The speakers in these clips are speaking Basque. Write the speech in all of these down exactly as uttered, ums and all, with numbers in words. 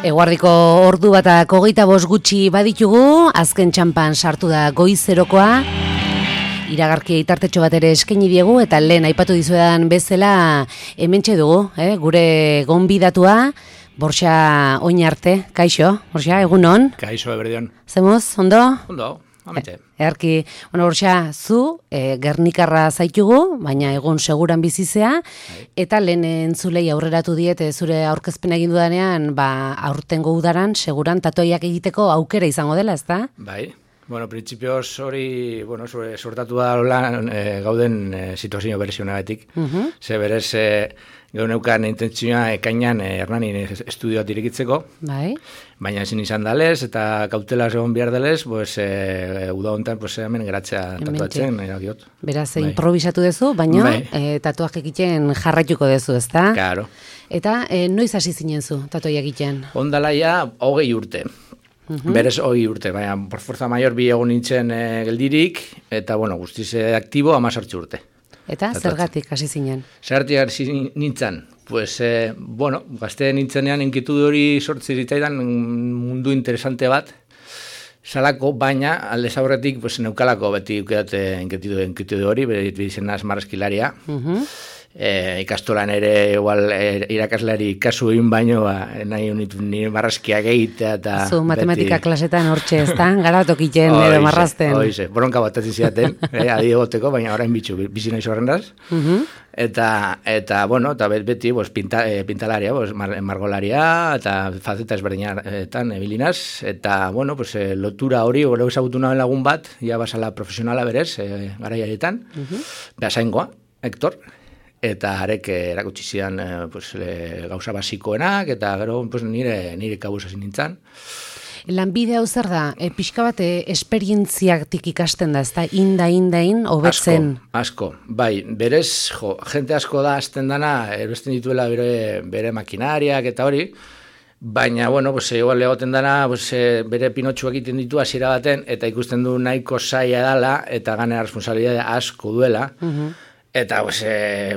Eguardiko ordu batak hogeita bost gutxi baditugu, azken txampan sartu da goizerokoa, iragarki itartetxo bat ere eskaini diegu, eta lehen aipatu dizuedan bezala hementxe dugu, eh? Gure gonbidatua, Borxa Oinarte. Kaixo, Borxa, egunon? Kaixo, eberdion. Zemoz, ondo? Ondo, ametxe. Earki, bueno, Borxa, zu, e, Gernikarra zaitugu, baina egun seguran bizizea, eta lehen entzulei aurreratu diet, e, zure aurkezpena egin dudanean, ba, aurtengo udaran, seguran tatuaiak egiteko aukera izango dela, ezta? Bai. Bueno, printzipioz hori, bueno, sortatu da lan, e, gauden e, situazio berezionagatik. Uh -huh. Ze berez, e, geuneukan intentzioa ekainan e, Hernanin estudioat irekitzeko. Bai. Baina ezin izan dalez, eta kautela egon behar dalez, pues, e, uda hontan pues, hemen geratzea tatuatzen, erakiot. Beraz, bai. Improvisatu dezu, baina bai. e, tatuak egiten jarraituko dezu, ezta? Claro. Eta e, noiz hasi zinen zu tatuak egiten? Ondalaia hogei urte. Uh-huh. Berez hogei urte, baina por fuerza mayor bi egun nintzen e, geldirik, eta bueno, guztiz e, aktibo amazortzi urte. Eta tatuatzen. Zergatik hasi zinen? Zergatik hasi nintzen? Pues, eh, bueno, gazte nintzenean enkitudu hori sortzi zitzaidan mundu interesante bat, salako, baina alde zaurretik pues, neukalako beti ukeate enkitudu hori, bere izenaz marrazkilaria. Uh-huh. E, ikastolan ere igual e, irakasleari kasu egin baino ba, nahi unitu nire marrazkia gehitea eta zu matematika beti... klasetan hortxe ez da gara tokiten edo marrazten oize, boronka bat ez ziaten eh, adi egoteko, baina orain bitxu bizi nahi zorrendaz uh-huh. eta, eta bueno, eta beti pues, pinta, e, pintalaria, pues, mar, margolaria eta faceta ezberdinetan ebilinaz eta bueno, pues, e, lotura hori gero ezagutu nahen lagun bat ja basala profesionala berez e, garaiaretan uh-huh. behasaingoa, Hector eta arek erakutsi zidan eh, pues, le, gauza basikoenak, eta gero pues, nire, nire kabuz hasi nintzen. Lanbide hau zer da, e, pixka bat e, esperientziatik ikasten da, ez da, inda, inda, in, hobetzen? Asko, asko, bai, berez, jo, jente asko da azten dana, erosten dituela bere, bere makinariak eta hori, baina, bueno, pues, igual egoten dana, pues, bere pinotxuak egiten ditu hasiera baten, eta ikusten du nahiko zaila dela, eta gane responsabilidade asko duela, uh-huh. Eta, pues,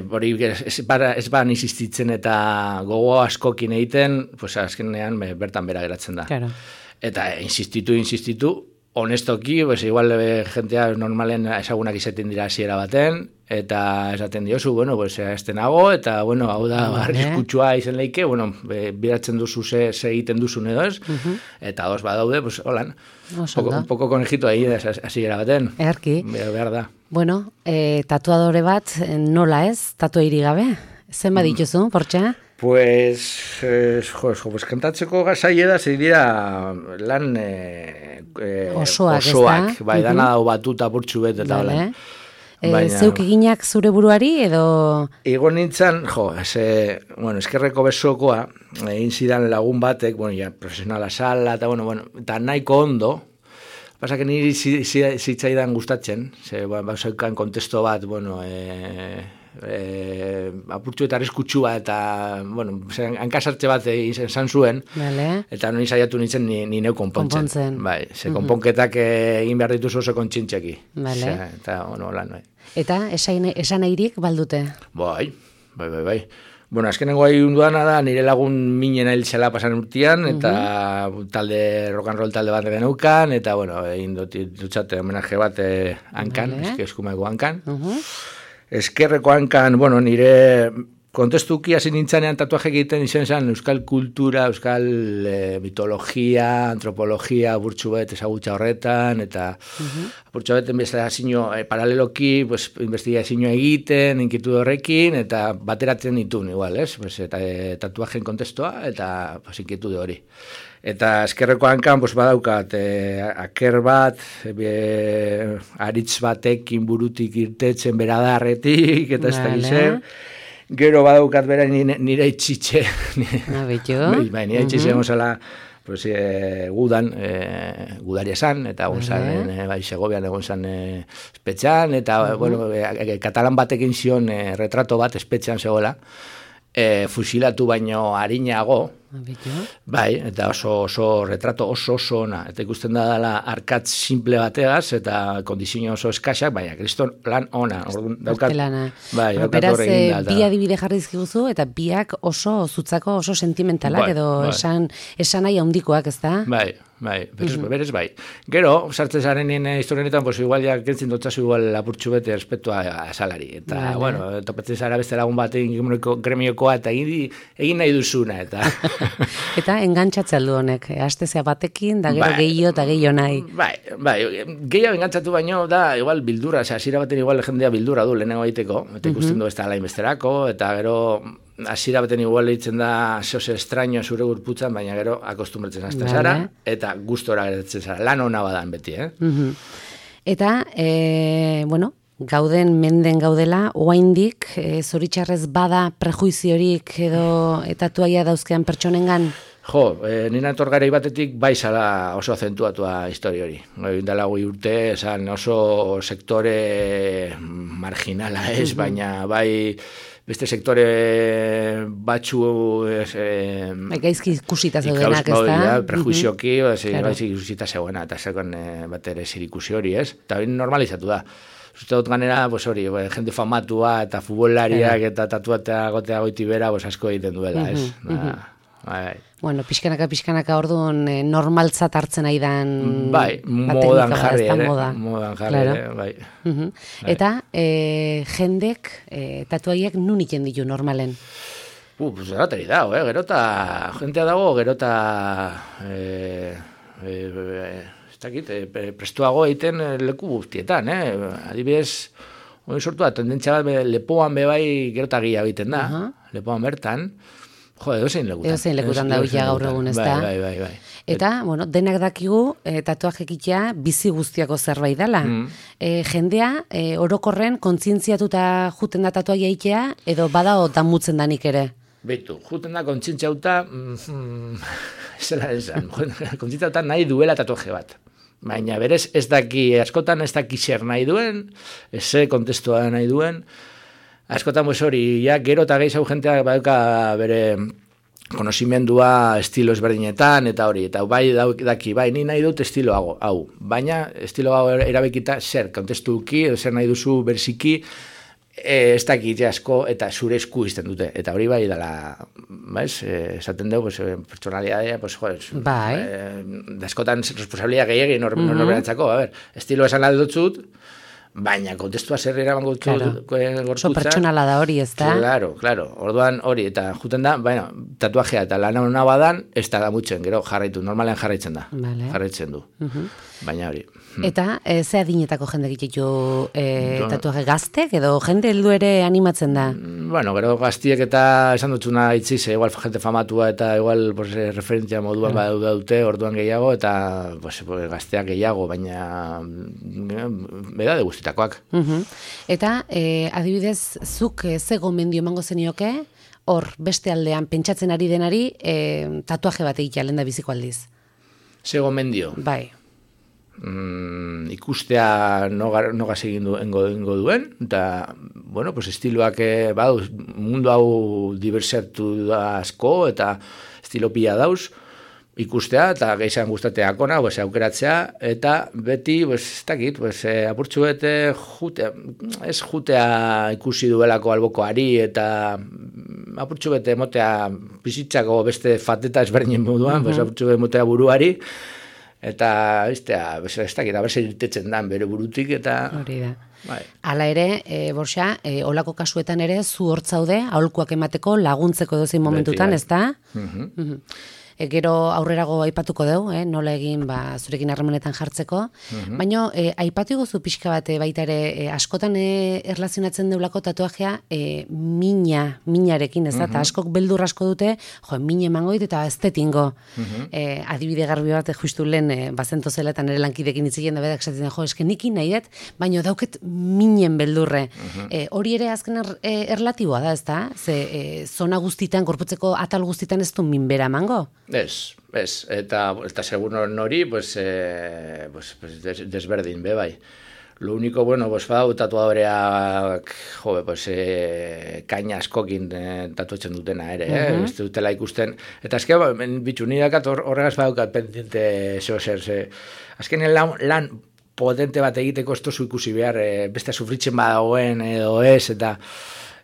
hori e, ez, ez ban insistitzen eta gogo askokin egiten, pues, azkenean bertan bera geratzen da. Claro. Eta insistitu, insistitu, honestoki, pues, igual e, jentea normalen ezagunak izaten dira hasiera baten, eta esaten diozu, bueno, pues, estenago, eta, bueno, hau da, vale. Arriskutsua izen leike, bueno, e, biratzen duzu ze, ze egiten duzun edo ez, uh-huh. Eta dos badaude, pues, holan, un poco conejito ahí hasiera baten. Earki. Behar da. Bueno, e, tatuadore bat nola ez, tatuairi gabe? Zen badituzu, Borxa? Pues, eh, jo, jo, pues kantatzeko gazaile da, zei dira lan eh, eh, osoak, osoak bai, uh-huh. Dana batuta burtsu bet eta vale. Lan. E, baina, zeuk eginak zure buruari edo? Ego nintzen, jo, ze, bueno, eskerreko besokoa, egin zidan lagun batek, bueno, ja, profesionala sala, eta, bueno, bueno, eta nahiko ondo, pasa que niri zitzaidan gustatzen, ze, ba, zeukan kontesto bat, bueno, e, e, apurtxu eta arriskutsua eta, bueno, hankasartxe bat izan zuen, vale. Eta nori saiatu nintzen ni, ni neu konpontzen. Konpontzen. Bai, ze uh-huh. Konponketak egin behar dituzu oso kontxintxeki. Vale. Ze, eta, bueno, lan, bai. Eta esan, esan airik baldute? Bai, bai, bai, bai. Bueno, azkenengo ahi unduana da, nire lagun minen ailtzela pasan urtean, eta uh-huh. talde, rock and roll talde bat geneukan, eta, bueno, egin dutxate homenaje bat eh, hankan, vale. Eske eskumeko hankan. Uh-huh. Eskerreko hankan, bueno, nire kontestuki hasi nintzanean tatuaje egiten izan zen euskal kultura, euskal e, mitologia, antropologia, burtsu bet ezagutza horretan, eta uh-huh. burtsu bet investizio e, paraleloki, pues, investigazio egiten, inkitu horrekin, eta bateratzen ditun, igual, ez? Pues, eta e, tatuajen kontestua, eta pues, inkitu hori. Eta eskerreko hankan, pues, badaukat, e, aker bat, e, aritz batekin burutik irtetzen beradarretik, eta ez da gizem. Gero badaukat bera nire, nire itxitxe. Bai, nire itxitxe egon zala, pues, e, gudan, e, gudari esan, eta egon zan, e, bai, Segovian egon zan e, espetxan, eta, uh-huh. bueno, e, e, katalan batekin zion e, retrato bat espetxan zegoela, e, fusilatu baino harinago, Bai, eta oso, oso retrato oso oso ona. Eta ikusten da dela arkatz simple bategaz, eta kondizio oso eskaxak, baina kriston lan ona. Orduan, daukat, bai, daukat beraz, horregin da. bi adibide jarri dizkiguzu, eta biak oso zutzako, oso sentimentalak, bai, edo bai. esan, esan nahi handikoak, ez da? Bai, bai, berez, mm-hmm. berez bai. Gero, sartzen zarenien historianetan, pues igual ja kentzin dotzazu igual lapurtxu bete respetua a salari. Eta, vale. Bueno, topatzen zara beste lagun bat egin gremiokoa, eta egin, egin nahi duzuna, eta... eta engantzatzea du honek, astezea batekin, da gero bai, gehiago eta gehiago nahi. Bai, bai, gehiago engantzatu baino, da, igual bildura, ose, hasiera baten igual jendea bildura du lehenengo egiteko, eta ikusten mm-hmm. du ez da alain besterako, eta gero... hasiera baten igual eitzen da zose estraño zure gurputzan, baina gero akostumbratzen hasten zara, eta gustora geratzen zara, lan hona badan beti, eh? Uh-huh. Eta, e, bueno, gauden menden gaudela, oaindik, e, zoritxarrez bada prejuiziorik edo etatuaia dauzkean pertsonengan? Jo, e, nina etorgarei batetik bai zala oso azentuatua historia hori. Dala goi urte, esan oso sektore marginala ez, uh-huh. baina bai... beste sektore batxu... Eh, gaizki ikusita zeudenak, ez da? Prejuizioki, mm-hmm. gaizki ikusita zegoena, eta zekon eh, bat ere zirikusi hori, ez? Eta hori normalizatu da. Zuste dut ganera, pues hori, jende famatua eta futbolariak claro. eta tatuatea gotea goiti bera, pues asko egiten duela, ez? Mm-hmm. Da, bai, bai. Bueno, pixkanaka, pixkanaka orduan eh, normaltzat hartzen nahi dan... Bai, modan jarri ere. Moda. Modan jarri claro. ere, bai. Uh-huh. bai. Eta eh, jendek eh, tatuaiek nun iten ditu normalen? Uh, pues erateri dago, eh? Gerota, jentea dago, gerota... Eh, eh, eh, ez dakit, eh, prestuago egiten leku guztietan, eh? Adibidez, hori sortu da, tendentzia bat lepoan bebai gerota gila egiten da, uh-huh. lepoan bertan... Jo, edozein lekutan. Edozein lekutan da huia gaur egun, ez da? Bai, bai, bai. Eta, bueno, denak dakigu, e, tatuaje ekitea bizi guztiako zerbait dela. Mm. E, jendea, e, orokorren, kontzientziatuta juten da tatuaia itea, edo badao damutzen danik ere? Beitu, juten da kontzientziauta, mm, zela esan, kontzientziauta nahi duela tatuaje bat. Baina berez, ez daki, askotan ez daki zer nahi duen, ez ze kontestua nahi duen, askotan pues hori, ja, gero eta gehiago jentea baduka bere konozimendua estilo ezberdinetan, eta hori, eta bai daki, bai, ni nahi dut estilo hau, hau. Baina estilo hau erabekita zer, kontestuki, zer nahi duzu berziki, e, ez dakit asko, eta zure esku izten dute. Eta hori bai dela, baiz, esaten dugu, pues, pertsonalidadea, pues, jo, es, bai. E, askotan responsabilidad gehiagin nor, mm-hmm. norberantzako, a ber, estilo esan aldo dutzut, baina kontestua zer eraman gotzu claro. gorputza. Oso pertsonala da hori, ez da? Claro, claro. Orduan hori, eta juten da, bueno, tatuajea eta lan hona badan, ez da damutzen, gero jarraitu, normalean jarraitzen da. Vale. Jarraitzen du. Uh-huh. Baina hori. Eta, e, ze adinetako jende egitetu e, tatuaje gaztek, edo jende heldu ere animatzen da? Bueno, gero gaztiek eta esan dutzuna itziz, igual jente famatua eta igual pues, referentzia moduan uh. badaude dute, orduan gehiago, eta pues, gazteak gehiago, baina beda de guztitakoak. Uh-huh. Eta, e, adibidez, zuk e, ze gomendio emango zenioke, hor, beste aldean, pentsatzen ari denari, e, tatuaje bat egitea lehen da biziko aldiz? Ze gomendio? Bai. Mm, ikustea nogaz no egin du, engo, engo duen, eta, bueno, pues estiloak eh, badu, mundu hau diversatu da asko, eta estilo pila dauz, ikustea, eta gehizan gustateakona, pues, aukeratzea, eta beti, pues, ez dakit, pues, eh, apurtxu bete, jutea, ez jutea ikusi duelako albokoari, eta apurtxu bete motea bizitzako beste fateta ezberdinen moduan, uh-huh. pues, apurtxu bete motea buruari, eta, eztea, ez dakit, aberse irtetzen dan bere burutik, eta... Hori da. Bai. Hala ere, e, Borxa, e, olako kasuetan ere, zu hortzaude, aholkuak emateko, laguntzeko dozein momentutan, ez da? Uh-huh. Uh-huh. E, gero aurrerago aipatuko dugu, eh, nola egin ba, zurekin harremanetan jartzeko, uh-huh. baina e, aipatu gozu pixka bat baita ere, e, askotan e, erlazionatzen deulako tatuajea e, mina, minarekin, ez da, eta uh-huh. askok beldur asko dute, jo, mine emango dit eta estetingo. Uh-huh. E, adibide garbi bat, justu lehen, e, bazento zela eta nire lankidekin itziken da bedak esatzen, jo, eske niki nahi dut, baina dauket minen beldurre. Uh-huh. E, hori ere azken er, e, erlatiboa da, ez da? Ze, e, zona guztitan, gorputzeko atal guztitan ez du minbera emango? Ez, ez, eta, eta segun nori, pues, eh, pues, pues des, desberdin, be, bai. Lo único, bueno, pues bau tatuadoreak, jo, pues, e, kaina askokin e, tatuatzen dutena ere, eh? Uh-huh. Ez dutela ikusten. Eta azken, ba, bitxu, nire dakat horregaz badaukat pendiente zeo zer, ze. Azkenean lan, lan potente bat egiteko ez tozu ikusi behar, e, beste sufritzen badagoen edo ez, eta,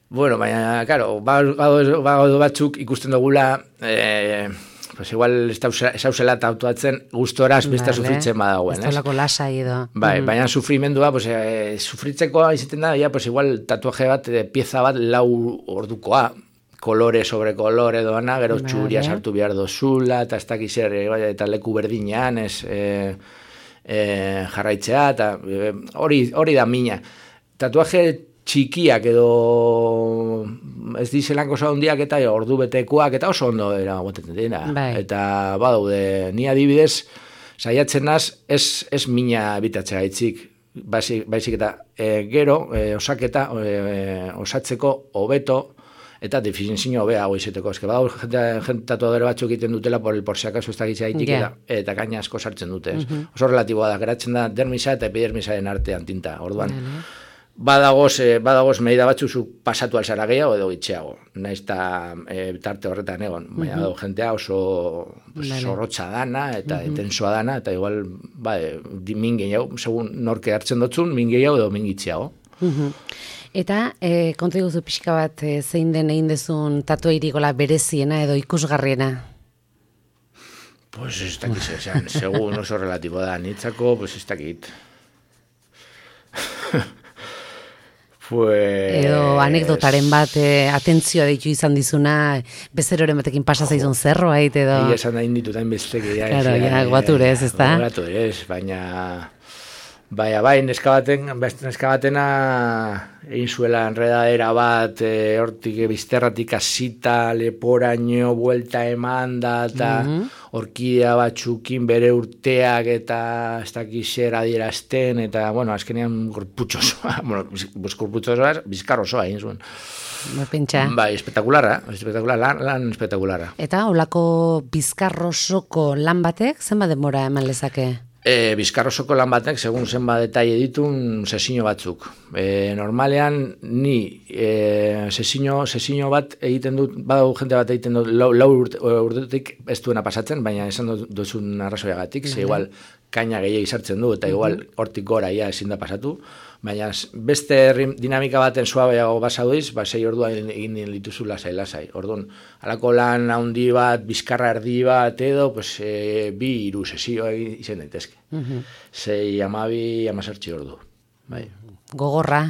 bueno, baina, claro, badu batzuk ikusten dugula, e, pues igual ez hausela tatuatzen gustoraz beste vale. Sufritzen badagoen, ez? Ez talako lasai edo. Bai, mm. baina sufrimendua, pues, e, sufritzeko izaten da, ya, pues igual tatuaje bat, e, pieza bat lau ordukoa, kolore sobre kolore doana, gero vale. Txuria sartu behar dozula, eta ez dakiz ere, bai, eta leku berdinean, ez e, e, jarraitzea, eta hori hori da mina. Tatuaje txikiak edo ez dizelanko zaundiak eta ordu betekoak eta oso ondo era gotetzen dira. Bai. Eta badaude, ni adibidez saiatzen naz ez, ez mina ebitatzea gaitzik, baizik, baizik eta e, gero e, osaketa e, osatzeko hobeto eta definizio hobea hau izeteko. Eske badau jente tatuadore batzuk egiten dutela por el por si acaso ez da gaitik yeah. eta, eta gaina asko sartzen dute. Uh-huh. Oso relatiboa da, geratzen da dermisa eta epidermisaren artean tinta. Orduan, uh-huh. Badagoz, eh, badagoz medida batzu zu pasatu alzara gehiago edo gitxeago. Naiz eta e, tarte horretan egon. Baina uh-huh. jentea oso pues, zorrotza dana eta uh-huh. intensoa dana, eta igual ba, e, min gehiago, segun norke hartzen dotzun, min gehiago edo min gitxeago. Uh-huh. Eta e, konta iguzu pixka bat e, zein den egin dezun tatuairikola bereziena edo ikusgarriena? Pues ez dakit, esan, segun oso relatibo da, nitzako, pues ez dakit. Pues... Edo anekdotaren bat, eh, atentzioa ditu izan dizuna, bezeroren batekin pasa zaizun zerbait, edo... Ia esan da inditutan besteki. Ja, claro, ja, guaturez, ez da? Guaturez, baina... Baina, bai, neska baten, neska batena egin zuela enredadera bat, e, hortik bizterratik asita, leporaino, buelta emanda, eta mm-hmm. orkidea batzukin bere urteak, eta ez dakizer adierazten, eta, bueno, azkenean gorputxosoa, bueno, gorputxosoa, bizkarrosoa egin zuen. Pentsa. Bai, espetakularra, espetakular, lan, lan espetakularra. Eta, olako bizkarrosoko lan batek, zenbat denbora eman lezake? E, bizkarrosoko lan batek, segun zenba detaile ditun, sesino batzuk. E, normalean, ni e, sesino, sesino bat egiten dut, badau jente bat egiten dut, lau, lau urtetik ez duena pasatzen, baina esan duzun arrazoiagatik, ze igual kaina gehiago izartzen du, eta igual hortik gora ia ezin da pasatu, baina beste dinamika baten suabeago basaudiz, ba, sei ordua egin dituzu lasai, lasai. Orduan, halako lan handi bat, bizkarra erdi bat, edo, pues, e, bi iru sesio izan daitezke. Uh-huh. Sei amabi, amazartzi ordu. Bai. Gogorra.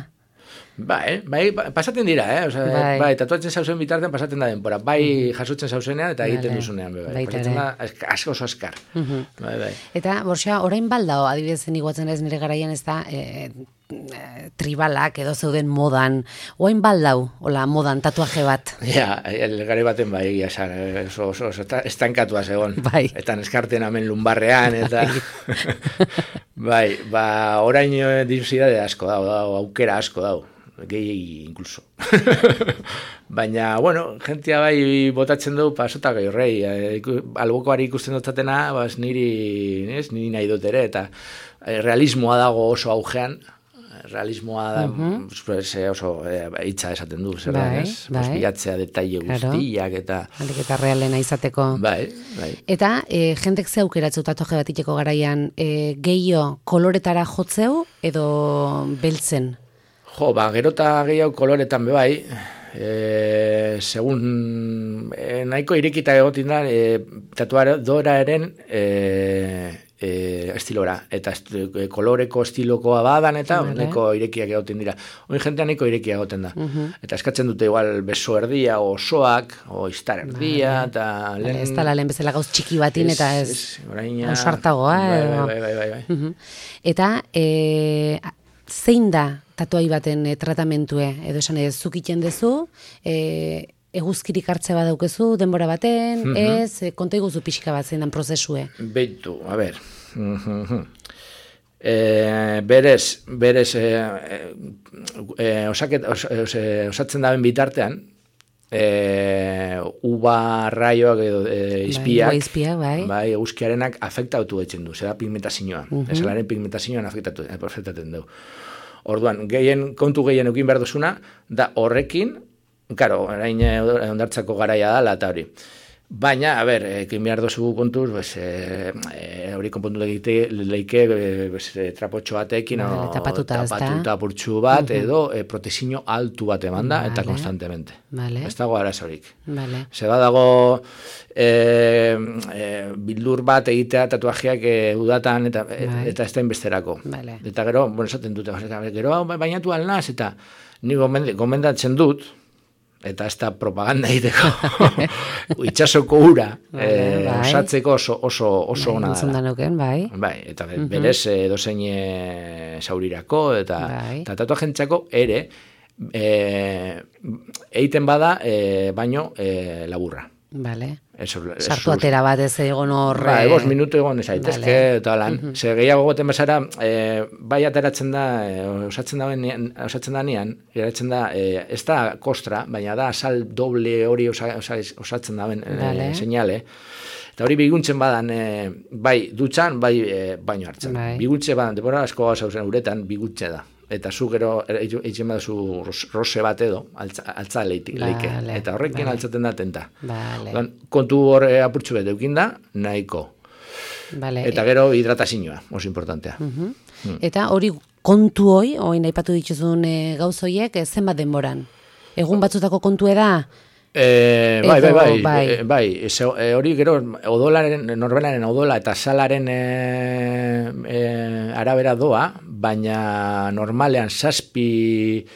Bai, bai, pasaten dira, eh? Osa, bai. bai, tatuatzen zauzen bitartean pasaten da denpora. Bai, jasotzen zauzenean eta egiten vale. Duzunean. Bai, pasatzen da, asko oso askar. Uh-huh. Bai, bai. Eta, borxa, orain baldao, adibidez iguatzen ez nire garaian ez da, e, e, tribalak edo zeuden modan. Orain baldau, hola, modan, tatuaje bat. Ja, elgari baten bai, egia esan, oso, oso, oso, estankatua zegoen. Bai. Eta neskarten amen lumbarrean, eta... bai, ba, orain dirusidade asko dau, dau, aukera asko dau. Gehi incluso. Baina, bueno, jentia bai botatzen du pasota gai horrei. Albokoari ikusten dutatena, bas, niri, nes, niri nahi dut ere, eta realismoa dago oso augean. Realismoa da, uh-huh. pues, oso eh, hitza esaten du, zer da, ez? Bai. Bilatzea detaile guztiak eta... Halik eta realena izateko. Bai, bai. Eta, e, jentek ze aukeratzu tatuaje bat iteko garaian, e, gehiago koloretara jotzeu edo beltzen? Jo, ba, gerota gehiago koloretan bebai, e, segun e, nahiko irekita egotin da, e, tatuadora eren e, e, estilora, eta est, e, koloreko estilokoa badan, eta vale. Nahiko irekiak egoten dira. Oin jentea nahiko irekiak egoten da. Uh-huh. Eta eskatzen dute igual beso erdia, o osoak, o istar erdia, vale. Eta... Lehen... Vale, ez tala lehen bezala gauz txiki batin, ez, eta ez... ez oraina... Ausartagoa, bai, bai, bai, bai, bai, bai. Uh-huh. Eta... E, zein da tatuai baten e, tratamentua, edo esan ez zukiten dezu, e, eguzkirik hartze bat daukezu, denbora baten, mm-hmm. ez, e, konta iguzu pixka bat zein dan prozesue. Beitu, a ber, e, berez, berez, e, e, osaket, os, os, osatzen daben bitartean, e, uba raioak edo e, izpiak, bai, izpiak, bai. bai, eguzkiarenak afektatu etzen du, zera pigmentazioa, uh -huh. esalaren pigmentazioan afektatu, afektatzen du. Orduan, gehien, kontu gehien eukin behar duzuna, da horrekin, karo, orain ondartzako garaia da, eta hori. Baina, a ber, ekin behar dozu kontuz, pues, e, e, hori konpontu leike, leike pues, e, trapotxo batekin, vale, tapatuta, tapatuta purtsu bat, uh -huh. edo e, protezio altu bat emanda, vale. Eta konstantemente. Vale. Ez dago arazorik. Vale. Zeba dago e, e, bildur bat egitea tatuajeak e, udatan, eta, vale. eta ez da inbesterako. Vale. Eta gero, bueno, esaten dute, gero bainatu alnaz, eta ni gomendatzen dut, eta ez da propaganda egiteko, itxasoko ura vale, eh, bai. Osatzeko oso, oso, oso bai, ona dela. Nuken, bai. Bai, eta uh-huh. berez edozein e, saurirako, eta, bai. eta tatuajentzako ere, e, eiten bada, e, baino e, laburra. Vale. Eso, sartu atera bat ez egon horre. Ba, egos minutu egon ez aitezke, vale. Eta lan. Uh-huh. Ze gehiago goten bezara, e, bai ateratzen da, e, osatzen da osatzen da nian, geratzen da, e, ez da kostra, baina da sal doble hori osa, osa, osatzen da ben, vale. e, seinale. Eta hori biguntzen badan, e, bai dutxan, bai e, baino hartzen. Bai. Biguntze badan, depora asko gauza uretan, biguntze da. Eta zu gero eitzen baduzu rose bat edo, altza, altza leike. Vale, eta horrekin vale. Altzaten da tenta. Vale. Kontu hor apurtxu bet eukin da, nahiko. Vale. Eta gero hidratazioa, oso importantea. Uh-huh. hmm. Eta hori kontu hoi, hoi nahi patu dituzun e, gauzoiek, e, zenbat denboran? Egun batzutako kontu da? E, bai, bai, bai, bai, e, bai. E, hori gero odolaren, norbelaren odola eta salaren e, e, arabera doa, baina normalean zazpi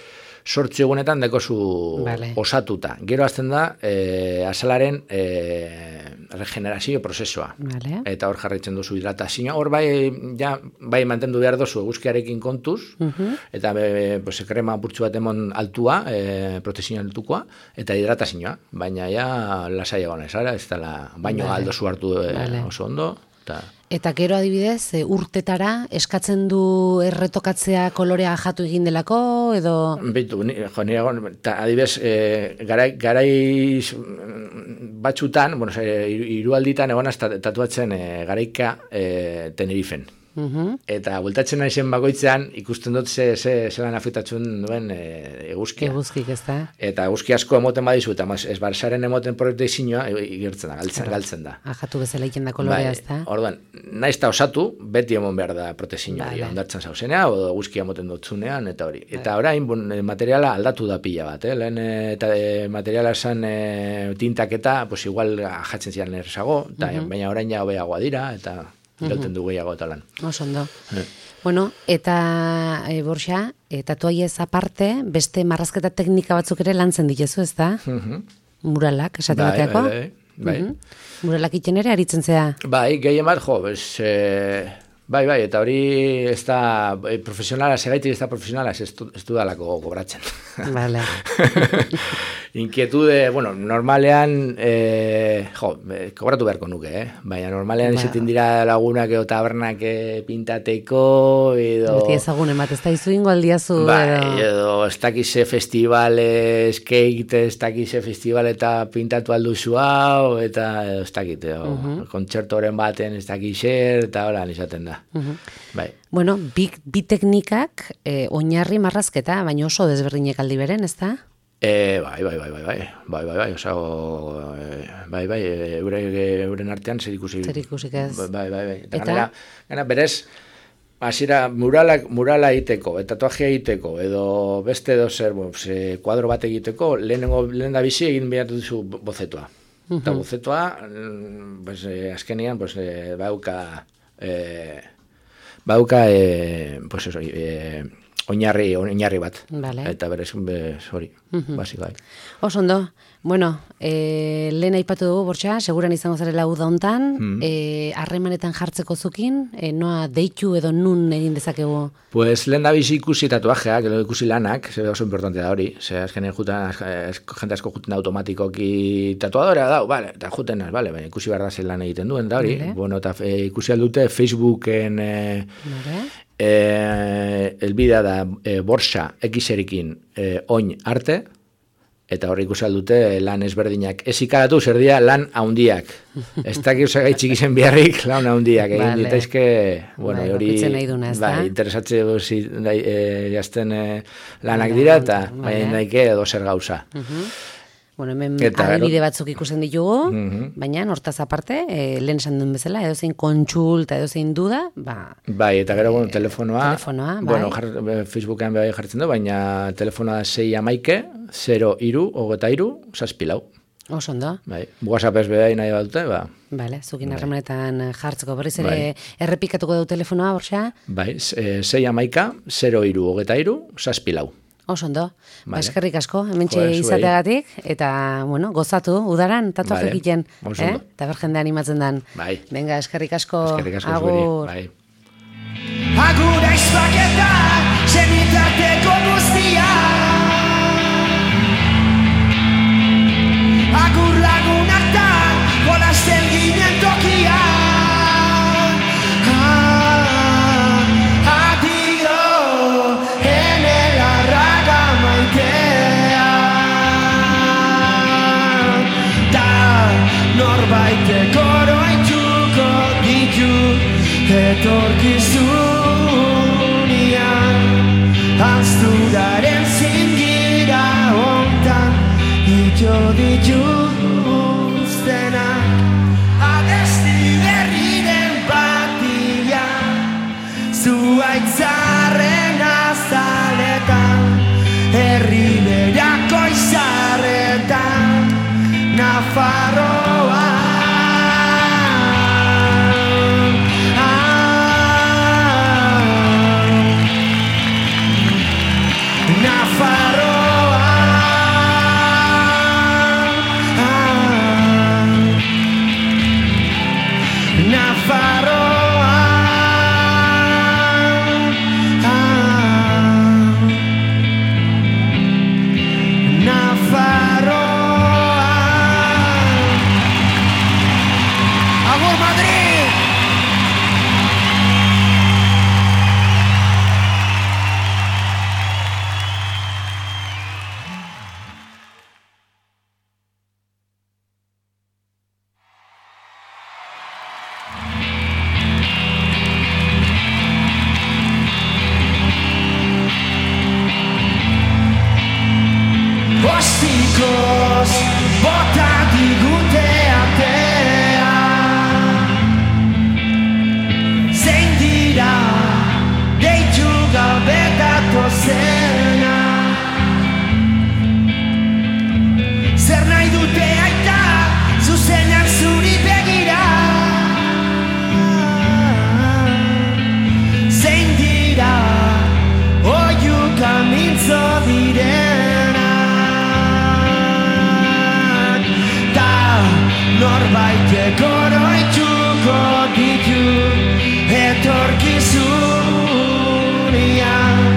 sortzu egunetan dekozu vale. Osatuta. Gero azten da e, asalaren e, regenerazio prozesua. Vale. Eta hor jarraitzen duzu hidratazioa. Hor bai, ja, bai mantendu behar duzu eguzkiarekin kontuz, uh-huh. eta be, pues, krema purtsu bat emon altua, e, protezio altukoa, eta hidratazioa. Baina ja lasai egon ez, ara, ez dela baino vale. Aldo zu hartu e, vale. Oso ondo. Ta. Eta gero adibidez, e, urtetara eskatzen du erretokatzea kolorea jatu egin delako, edo... Bitu, ni, jo, nire, ta, adibidez, e, garai, garai batxutan, bueno, hirualditan egon tatuatzen e, garaika e, Tenerifen. Uh-huh. Eta bueltatzen naizen bakoitzean ikusten dut ze, ze, zelan afektatzen duen e, eguzkia. Eguzkik, ez da? Eta eguzki asko emoten badizu, eta ez barzaren emoten proteizinoa igertzen da, galtzen, galtzen da. Ajatu bezala iken da kolorea, ez da? Orduan, naiz ta osatu, beti emon behar da proteizinoa, vale. Ondartzen zauzenea, o eguzkia emoten dutzunean, eta hori. Vale. Eta orain, bon, materiala aldatu da pila bat, eh? Lehen eta e, materiala esan e, tintak eta, pues igual jatzen ziren errezago, eta, uh-huh. baina orain ja hobeagoa dira, eta... Irauten du gehiago eta lan. Oso ondo. Eh. Bueno, eta e, Borja, e, tatuaiez aparte, beste marrazketa teknika batzuk ere lantzen dituzu, ez da? Uh-huh. Muralak, esate bai, bateako? Bai, bai, bai. Uh-huh. Muralak iten ere aritzen zea? Bai, gehien bat, jo, bez, e, bai, bai, eta hori ez da e, profesionala, segaitik ez da profesionala, ez du, ez du dalako kobratzen. Vale. Inquietude, bueno, normalean, eh, jo, kobratu beharko nuke, eh? Baina normalean ba. Izaten dira lagunak edo tabernak pintateko, edo... Beti ezagun emat, ez da izu ingo aldiazu, ba, edo... edo ez dakize festivale, skate, ez dakize festival eta pintatu alduzu hau, eta edo ez dakite, uh-huh. kontzertoren baten ez dakize, eta hola, izaten da. Uh-huh. Bai. Bueno, bi, bi teknikak eh, oinarri marrazketa, baina oso desberdinek aldi beren, ez da? E, bai, bai, bai, bai, bai, bai, bai, bai, osa, bai, bai, euren artean zer ikusi. Zer ikusik ez. Bai, bai, bai. Eta, eta? Ganera, ganera, berez, hasiera murala, murala egiteko, eta tatuajea egiteko, edo beste edo zer, bueno, pues, kuadro bat egiteko, lehenengo, lehen da bizi egin behar duzu bozetoa. Uh-huh. Eta bozetoa, pues, eh, azkenian, pues, eh, bauka, eh, bauka, eh, pues eso, eh, oinarri, oinarri bat. Vale. Eta berez, hori, uh-huh. basikai. Oso ondo. Bueno, e, lehen aipatu dugu, Borja, seguran izango zarela uda hontan, mm. e, harremanetan jartzeko zukin, e, noa deitu edo nun egin dezakegu? Pues lehen da bizi ikusi tatuajeak, edo ikusi lanak, ze oso importante da hori, ze azkenen jutan, jente asko juten automatikoki tatuadora da, vale, eta juten, vale, ikusi behar da zen lan egiten duen, da hori, vale. Bueno, eta e, ikusi aldute Facebooken, e, vale. Eh, elbidea da eh, borsa ekiserikin eh, oin arte, eta hor ikusi dute lan ezberdinak. Ez ikaratu, zer dira lan haundiak. Ez dakit osagaitxik izen biharrik lan haundiak. Egin Vale. ditaizke, bueno, Bai, hori bakoitzen nahi duna, ez da? bai, interesatze e, jazten e, lanak dira, eta Vale. bai, nahike edo zer gauza. Bueno, hemen Eta, adibide batzuk ikusten ditugu, Mhm. baina hortaz aparte, e, lehen esan duen bezala, edozein kontsulta, edozein duda, ba, Bai, eta gero, bueno, telefonoa, telefonoa, bai. bueno, jar, Facebookean bai jartzen du, baina telefonoa sei amaike, zero iru, hogeta iru, zazpilau. oso ondo. Bai, WhatsApp ez behar nahi badute, ba, Bale, zukin harremanetan jartzeko berriz ere Bai. errepikatuko du telefonoa, borxa? bai, e, sei amaika, zero iru, hogeta iru, zazpilau. Oso ondo. Ba, Vale. eskerrik asko, hementxe Jo, zuei. izateagatik, eta, bueno, gozatu, udaran, tatuak Vale. egiten, Oso eh? ondo. Eta ber jende animatzen dan. Bai. Venga, eskerrik asko, Eskerrik asko agur. zueri, bai. Agur aizpaketa, senitateko guztia. Agur lagunak da, jolasten ginen tokia. Ah, adio, ene larraga maitea. Da, norbaitek oroituko ditu, etorkizunian. Azturaren zingira hontan, ito dituztenak. Abesti berriren batia, zuaitzarren azaletan, herri berako izarretan, Nafarroa. Ostikoz bota digute atea. Zein dira deitu gabe datozena. Zer nahi dute aita zuzenak zuri begira. Zein dira oiuk amintzo direnak. Norbaitek oroituko ditu etorkizun.